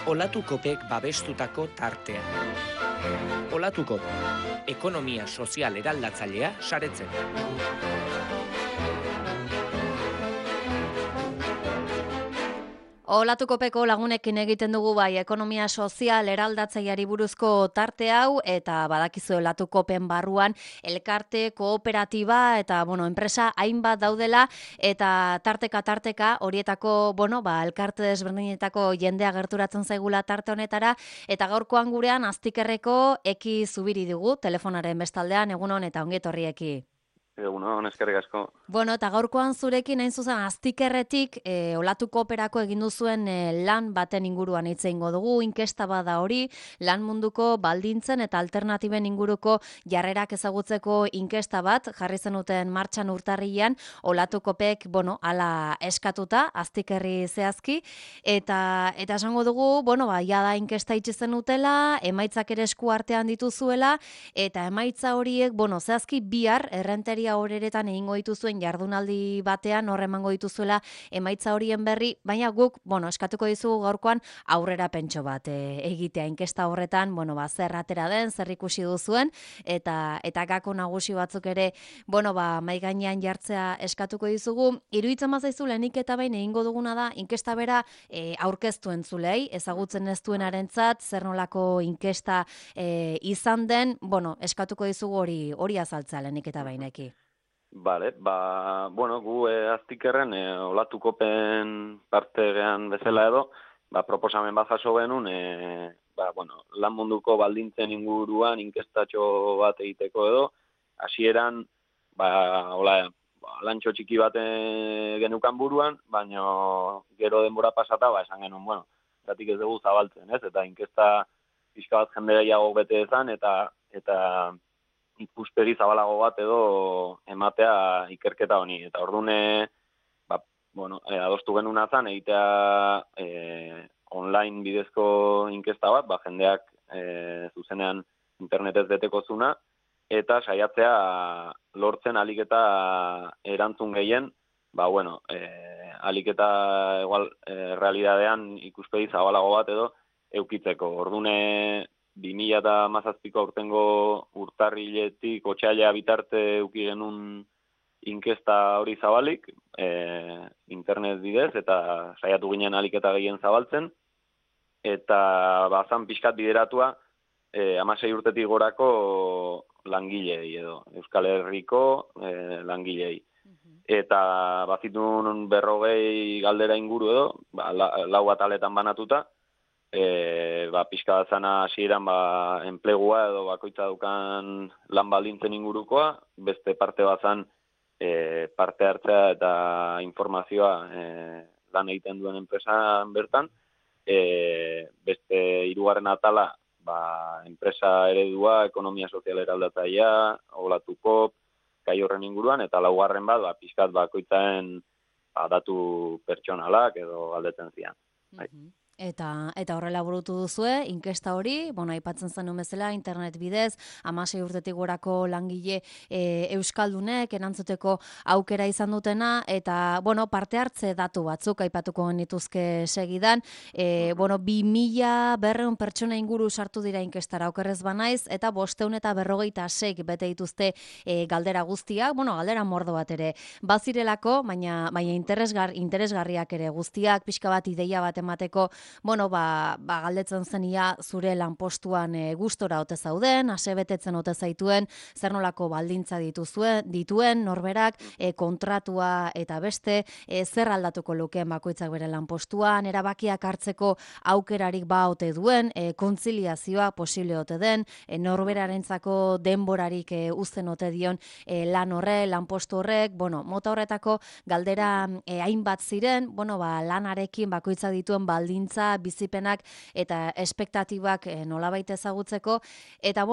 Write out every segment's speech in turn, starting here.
Olatukopek babestutako tartea. Olatukop, ekonomia sozial eraldatzailea saretzen. Olatukopeko lagunekin egiten dugu bai ekonomia sozial eraldatzaileari buruzko tarte hau eta badakizu Olatukopen barruan elkarte, kooperatiba eta enpresa hainbat daudela eta tarteka horietako elkarte desberdinetako jendea gerturatzen zaigula tarte honetara eta gaurkoan gurean Aztikerreko Eki Zubiri dugu telefonaren bestaldean. Egunon eta ongi etorri Eki. Egunon, eskerrik asko. Eta gaurkoan zurekin hain zuzen Aztikerretik Olatukoperako egin duzuen lan baten inguruan hitz egingo dugu. Inkesta bada hori, lan munduko baldintzen eta alternatiben inguruko jarrerak ezagutzeko inkesta bat jarri zenuten martxan urtarrilean Olatukopek, hala eskatuta Aztikerri zehazki eta esango dugu, jada inkesta itxi zenutela, emaitzak ere esku artean dituzuela eta emaitza horiek, zehazki bihar errenteria horeretan egingo dituzuen jardunaldi batean hor emango dituzuela emaitza horien berri, baina guk, eskatuko dizugu gaurkoan aurrera pentso bat egitea inkesta horretan, zer atera den, zer ikusi duzuen eta gako nagusi batzuk ere, mahai gainean jartzea eskatuko dizugu. Iruditzen bazaizu lehenik eta behin egingo duguna da inkesta bera aurkeztu entzulei, ezagutzen ez duenarentzat zer nolako inkesta izan den, eskatuko dizugu hori azaltzea lehenik eta behineki. Bale, gu Aztikerren Olatukopen partegean bezala edo, proposamen bat jaso genuen, lan munduko baldintzen inguruan inkestatxo bat egiteko edo, hasieran, lantxo txiki bat genukan buruan, baina gero denbora pasata, esan genuen, zatik ez dugu zabaltzen, ez? Eta inkesta pixka bat jende gehiago bete ezan, eta ikuspegi zabalago bat edo ematea ikerketa honi. Eta ordune, adostu genuen azan, egitea online bidezko inkesta bat, jendeak zuzenean internetez beteko zuna, eta saiatzea lortzen alik eta erantzun gehien, alik eta igual realidadean ikuspegi zabalago bat edo eukitzeko. Ordune 2017ko aurtengo urtarriletik otsaila bitarte eduki genuen inkesta hori zabalik, internet bidez, eta saiatu ginen alik eta gehien zabaltzen, eta bazan pixkat bideratua 16 urtetik gorako langilei edo, Euskal Herriko langilei. Eta bazitun 40 galdera inguru edo, lau ataletan banatuta, pixka bat zana hasieran enplegua edo bakoitza dukan lan baldintzen ingurukoa, beste parte bat zan parte hartzea eta informazioa lan egiten duen enpresan bertan, beste 3. atala enpresa eredua, ekonomia sozial eraldatzailea, Olatukop, gai horren inguruan, eta 4. bat pixkat bakoitzaen datu pertsonalak edo galdetzen zian. Eta horrela burutu duzue, inkesta hori, aipatzen zenuen bezala, internet bidez, 16 urtetik gorako langile euskaldunek erantzuteko aukera izan dutena, eta, parte hartze datu batzuk aipatuko genituzke segidan, 2.200 pertsona inguru sartu dira inkestara okerrez banaiz, eta 546 bete dituzte galdera guztiak, galdera mordo bat ere bazirelako, baina interesgarriak ere guztiak, pixka bat ideia bat emateko, galdetzen zenia zure lanpostuan gustora ote zauden, ase betetzen ote zaituen, zer nolako baldintza dituen norberak, kontratua eta beste, zer aldatuko lukeen bakoitzak bere lanpostuan, erabakiak hartzeko aukerarik ote duen, kontziliazioa posible ote den, norberarentzako denborarik uzten ote dion lan lanpostu horrek, mota horretako galdera hainbat ziren, lanarekin bakoitza dituen baldintza, bizipenak eta espektatibak nolabait ezagutzeko, eta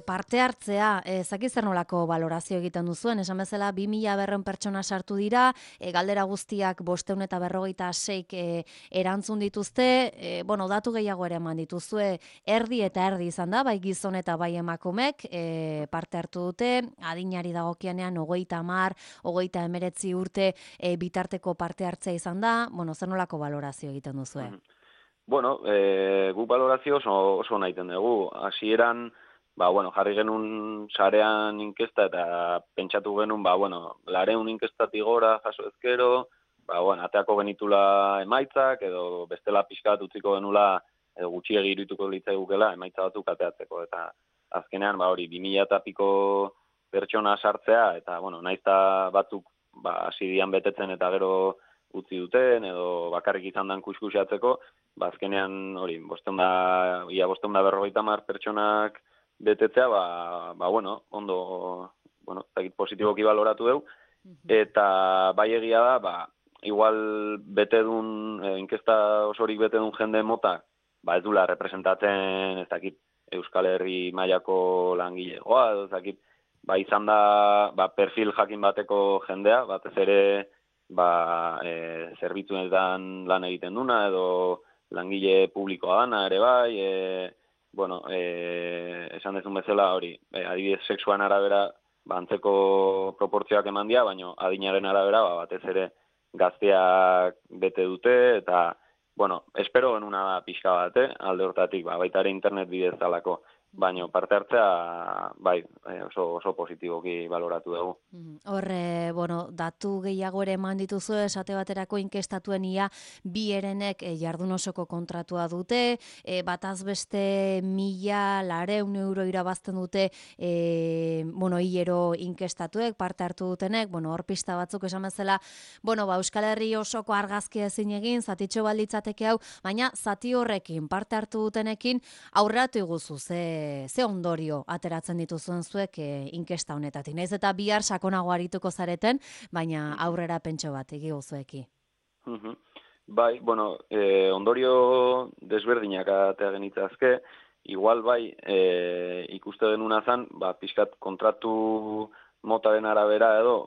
parte hartzea, zaki zer nolako balorazio egiten duzuen, esan bezala 2.200 pertsona sartu dira, galdera guztiak 546 erantzun dituzte, datu gehiago ere eman dituzue, erdi eta erdi izan da, bai gizon eta bai emakumek parte hartu dute, adinari dagokianean 30, 39 urte bitarteko parte hartzea izan da, zer nolako balorazio egiten duzue? Bueno, guk balorazio oso nahiten dugu. Hasieran, jarri genuen sarean inkesta eta pentsatu genuen, 200 inkestatik gora jaso ezkero, ateako genitula emaitzak, edo bestela pixkat utziko genula, edo gutxiegi irituko litzaigukela emaitza batzuk ateatzeko. Eta azkenean, hori, 2000 eta piko pertsona sartzea, eta, naiz eta batzuk, hasi dian betetzen eta gero utzi duten, edo bakarrik izan dan kuskusatzeko, azkenean hori, 550 pertsonak betetzea, ondo, positiboki baloratu dugu, eta bai egia da, igual bete dun, inkesta osorik bete dun jende mota, ez dula representatzen, ez dakit, Euskal Herri mailako langilegoa, edo ez dakit, izan da, perfil jakin bateko jendea, batez ere, zerbitzuetan lan egiten duna, edo langile publikoa dana ere bai, esan dezun bezala hori, adibidez sexuan arabera, antzeko proportzioak eman dira, baina adinaren arabera, batez ere gazteak bete dute, eta, espero genuna da pixka bat, alde hortatik, baita ere internet bidez dalako, baina parte hartzea, oso positiboki baloratu dugu. Horre, datu gehiago ere eman dituzu, esate baterako inkestatuen ia bi herenek jardun osoko kontratua dute, bataz beste 1.200 euro irabazten dute, hilero inkestatuek, parte hartu dutenek, hor pista batzuk esan bezala, Euskal Herri osoko argazkia ezin egin, zatitxo balditzateke hau, baina zati horrekin, parte hartu dutenekin, aurratu iguzu, ze ondorio ateratzen dituzuen zuek inkesta honetatik. Naiz eta bihar sakonago arituko zareten, baina aurrera pentso bat egiguzueki. Ondorio desberdinak atea genitzazke, igual ikuste denuna zan, pixkat kontratu motaren arabera edo,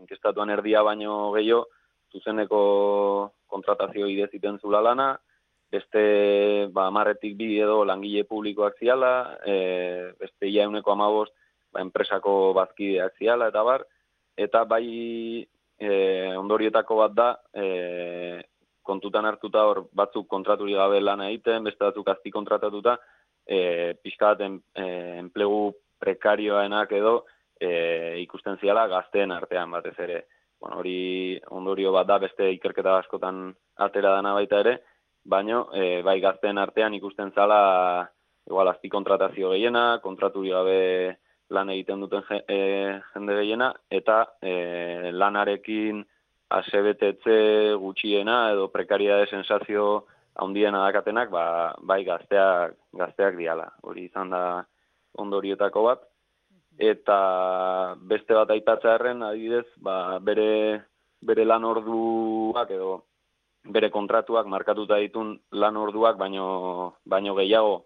inkestatuan erdia baino gehiago, zuzeneko kontratazio ideziten zula lana, beste 10-tik 2 edo langile publikoak ziala, beste ia 15 enpresako bazkideak ziala, eta ondorietako bat da, kontutan hartuta hor batzuk kontraturi gabe lana egiten, beste batzuk azpi kontratatuta, pixka bat enplegu prekarioenak edo ikusten ziala gazteen artean batez ere. Hori ondorio bat da, beste ikerketa askotan atera dana baita ere, baina gazteen artean ikusten zala igual azpi kontratazio gehiena, kontraturi gabe lan egiten duten jende gehiena, eta lanarekin asebetetze gutxiena edo prekariade sensazio handiena dakatenak, gazteak diala. Hori izan da ondorietako bat. Eta beste bat aipatzearren, adibidez, bere lan orduak edo bere kontratuak markatuta ditun lan orduak baino gehiago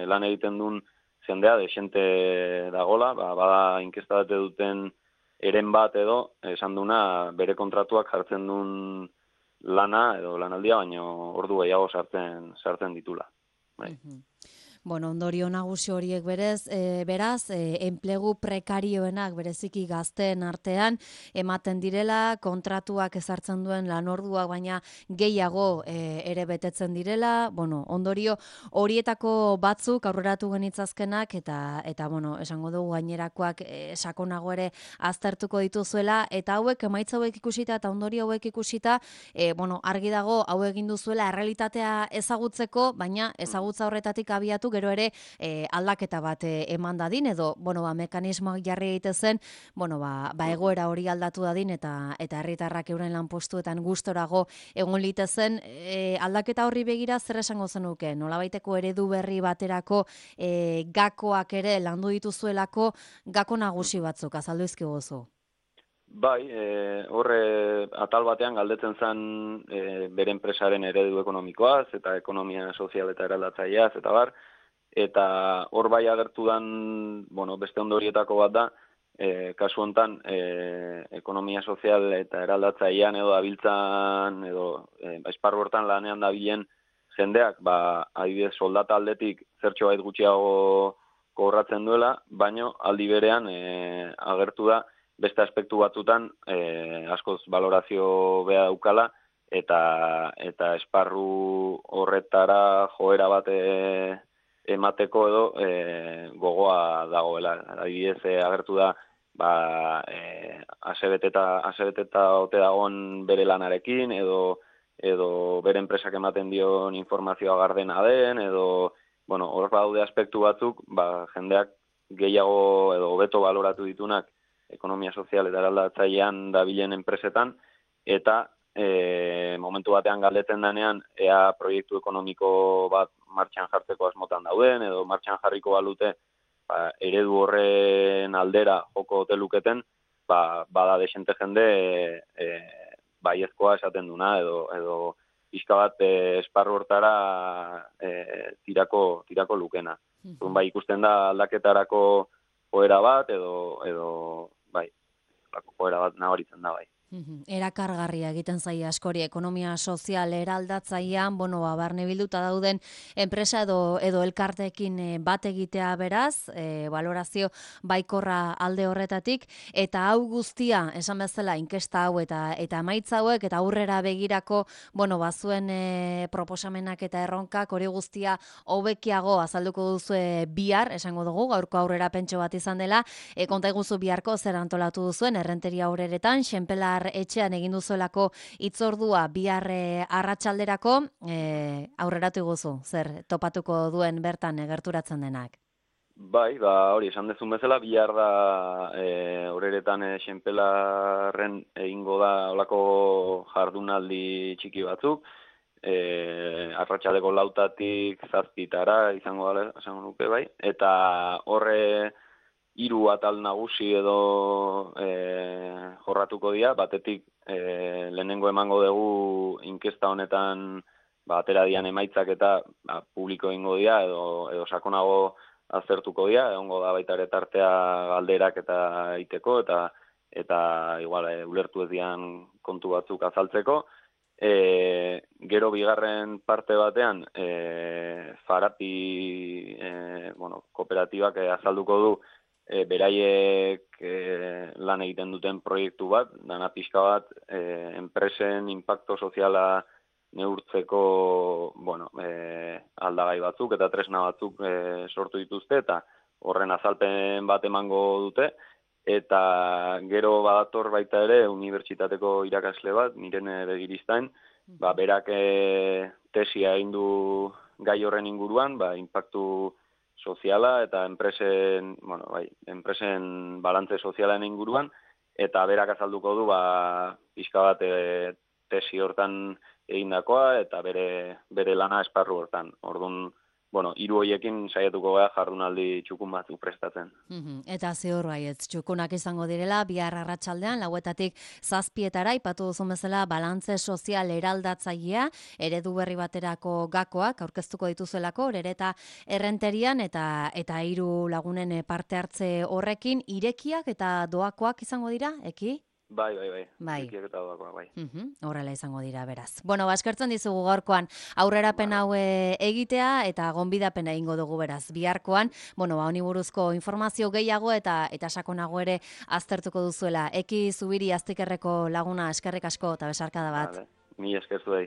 lan egiten duen jendea, desente dagola, bada inkestate duten eren bat edo, esan duna bere kontratuak jartzen duen lana edo lanaldia, baino ordu gehiago sartzen ditula. Ondorio nagusi horiek beraz, enplegu prekarioenak bereziki gazteen artean ematen direla, kontratuak ezartzen duen lanorduak baina gehiago ere betetzen direla, ondorio horietako batzuk aurreratu genitzazkenak eta esango dugu gainerakoak sakonago ere aztertuko dituzuela, eta hauek emaitza hauek ikusita eta ondorio hauek ikusita, argi dago hau egin duzuela errealitatea ezagutzeko, baina ezagutza horretatik abiatu gero ere aldaketa bat eman dadin, edo mekanismoak jarri egitezen, egoera hori aldatu dadin eta herritarrak euren lanpostuetan gustorago egon litezen, aldaketa horri begira zer esango zenuke, nolabaiteko eredu berri baterako gakoak ere landu dituzuelako, gako nagusi batzuk azaldu izkiguzu. Horre atal batean galdetzen zen bere enpresaren eredu ekonomikoaz eta ekonomia sozial eta eraldatzaileaz eta hor agertu dan, beste ondorietako bat da, kasu hontan ekonomia sozial eta eraldatzailean edo dabiltzan edo esparru hortan lanean dabilen jendeak, adibidez soldata aldetik zertxo bait gutxiago kobratzen duela, baino aldi berean agertu da beste aspektu batzutan askoz valorazio beha daukala eta esparru horretara joera bat emateko edo gogoa dagoela. Adibidez, agertu da asebeteta ote dagoen bere lanarekin, edo bere enpresak ematen dion informazioa gardena den, edo, hor daude aspektu batzuk, jendeak gehiago edo hobeto baloratu ditunak ekonomia sozial eta eraldatzailean dabilen enpresetan, eta momentu batean galdetzen denean, ea proiektu ekonomiko bat martxan jartzeko asmotan dauden, edo martxan jarriko balute, eredu horren aldera joko ote luketen, bada desente jende baiezkoa esaten duna, edo pixka bat esparru hortara tirako lukena. Ikusten da aldaketarako joera bat, edo joera bat nabaritzen da, bai. Erakargarria egiten zaie askori ekonomia sozial eraldatzailean, barne bilduta dauden enpresa edo elkarteekin bat egitea beraz, valorazio baikorra alde horretatik, eta hau guztia, esan bezala, inkesta hau eta emaitza hauek, eta aurrera begirako, bazuen proposamenak eta erronkak, hori guztia hobekiago azalduko duzu bihar, esango dugu, gaurko aurrera pentso bat izan dela, konta iguzu biharko zer antolatu duzuen, errenteria aurreretan, Xenpelar etxean egin duzuelako itzordua bihar arratsalderako, aurreratu iguzu, zer topatuko duen bertan gerturatzen denak? Bai, hori esan dezun bezala, bihar da horretan Xenpelarren egingo da olako jardunaldi txiki batzuk, arratsaldeko 4:00 tik 7:00 izango da, esango nuke, bai, eta horre 3 atal nagusi edo jorratuko dira, batetik lehenengo emango dugu inkesta honetan atera dian emaitzak eta publiko egingo dira edo sakonago aztertuko dira, egongo da baita ere tartea galderak eta iteko eta igual ulertu ez dian kontu batzuk azaltzeko. Gero bigarren parte batean Farapi kooperatibak azalduko du beraiek lan egiten duten proiektu bat, dana pixka bat enpresen inpakto soziala neurtzeko aldagai batzuk eta tresna batzuk sortu dituzte, eta horren azalpen bat emango dute, eta gero badator baita ere unibertsitateko irakasle bat, Mirene Begiristain, berak tesia egin du gai horren inguruan, inpaktu soziala eta enpresen balantze sozialen inguruan, eta berak azalduko du pixka bat tesi hortan egindakoa eta bere lana esparru hortan. Orduan, 3 horiekin saiatuko gara jardunaldi txukun batzuk prestatzen. Eta ziur baietz, txukunak izango direla, bihar arratsaldean 4:00 tik 7:00 aipatu duzun bezala balantze sozial eraldatzailea, eredu berri baterako gakoak aurkeztuko dituzelako, Orereta errenterian eta 3 lagunen parte hartze horrekin, irekiak eta doakoak izango dira, Eki? Bai. Irekiak eta doakoak, bai. Horrela izango dira, beraz. Eskertzen dizugu gaurkoan aurrerapen hau egitea eta gonbidapena egingo dugu beraz. Biharkoan, honi buruzko informazio gehiago eta sakonago ere aztertuko duzuela. Eki Zubiri Aztikerreko laguna, eskerrik asko eta besarkada bat. Ni esker zuei.